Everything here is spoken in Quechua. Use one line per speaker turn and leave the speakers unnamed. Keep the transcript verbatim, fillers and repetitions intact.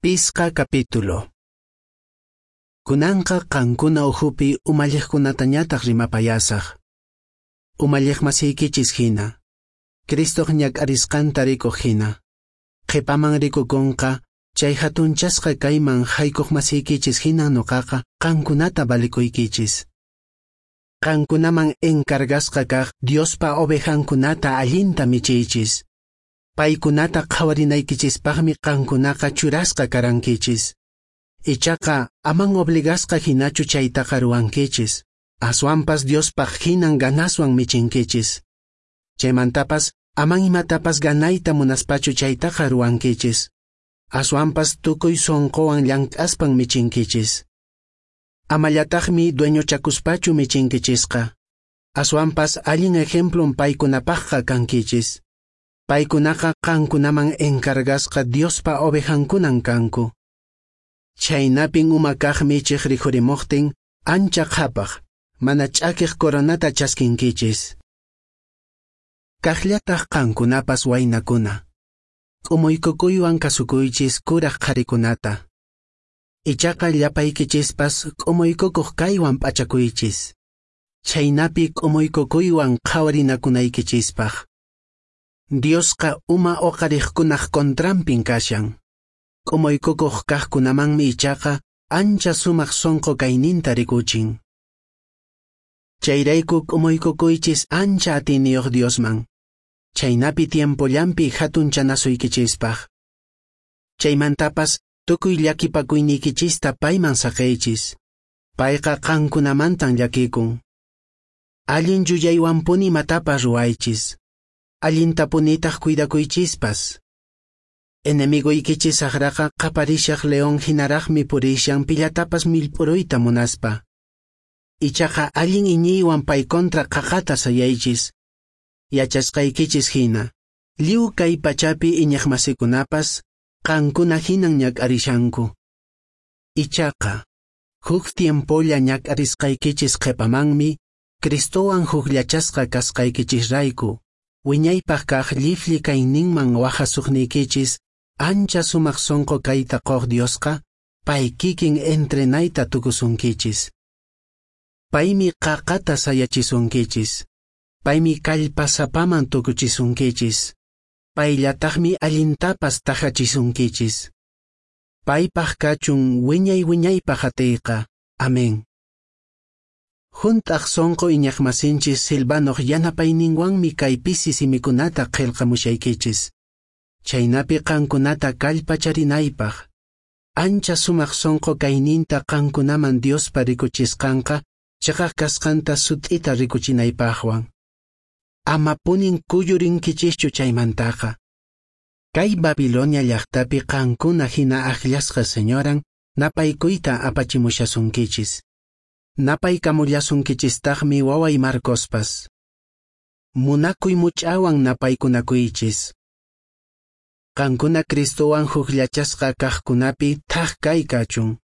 Pisqa capítulo. Kunanqa qankuna ukhupi umalliqkunatañataq rimapayasaq. Umalliqmasiykichis hina, Cristoq ñak'arisqanta rikuq hina, qhipaman rikukunqa chay hatunchasqa kayman haykuqmasiykichis hina nuqaqa qankunata valikuykichis. Qankunaman encargasqa kaq Diospa ovejankunata allinta michiychis. Paykunata qhawarinaykichispaqmi qankunaqa churasqa karankichis. Ichaqa aman obligasqa hinachu chaytaqa ruwankichis. Aswanpas Diospaq hinan ganaswan michinkichis. Chaymantapas aman imatapas ganayta munaspachu chaytaqa ruwankichis. Aswanpas tukuy sunquwan llank'aspan michinkichis. Amallataqmi dueñochakuspachu michinkichisqa. Aswanpas allin ejemplon paykunapaqqa kankichis. Paykunaqa qankunaman encargasqa Diospa ovejankunan kanku. Chaynapin uma kaq michiq rikhurimuqtin ancha qhapaq, mana ch'akiq coronata chaskinkichis. Kaqllataq qankunapas waynakuna, k'umuykukuywan kasukuychis kuraq qharikunata. Ichaqa llapaykichispas k'umuykukuq kaywan p'achakuychis. Chaynapi k'umuykukuywan qhawarinakunaykichispaq. Diosqa uma uqariqkunaq contranpin kashan. K'umuykukuq kaqkunamanmi ichaqa ancha sumaq sunqu kayninta rikuchin. Chayrayku k'umuykukuychis ancha atiyniyuq Diosman. Chaynapi tiempollanpi hatunchanasuykichispaq. Chaymantapas tukuy llakipakuynikichista payman saqeychis. Payqa qankunamantan llakikun. Allin yuyaywanpuni imatapas ruwaychis. Allintapunitaq cuidakuychispas. Enemiguykichis saqraqa qaparishaq león hinaraqmi purishan pillatapas millp'uruyta munaspa. Ichaqa allin iñiywan pay contra qaqata sayaychis. Yachasqaykichis hina, lliw kay pachapi iñiqmasikunapas qankuna hinan ñak'arishanku. Ichaqa, huk tiempolla ñak'arisqaykichis qhipamanmi, Cristowan hukllachasqa kasqaykichisrayku, wiñaypaq kaq lliflli kayninman wajasuqniykichis ancha sumaq sunqu kayta quq Diosqa, pay kikin entrenayta tukusunkichis. Paymi qaqata sayachisunkichis. Paymi kallpasapaman tukuchisunkichis. Payllataqmi allintapas tajachisunkichis. Paypaq kachun wiñay wiñaypaq atiyqa. Amén. Hunt'aq sunqu iñiqmasinchis Silvanoq yanapayninwanmi kay pisi simikunata qillqamushaykichis. Chaynapi qankunata kallpacharinaypaq. Ancha sumaq sunqu kayninta qankunaman Diospa rikuchisqanqa chiqaq kasqanta sut'ita rikuchinaypaqwan. Amapunin kuyurinkichischu chaymantaqa. Kay Babilonia llaqtapi qankuna hina akllasqa señoran napaykuyta apachimushasunkichis. Napaykamullasunkichistaqmi waway Marcospas. Munakuy much'awan napaykunakuychis. Qankuna Cristowan hukllachasqa kaqkunapi thak kay kachun.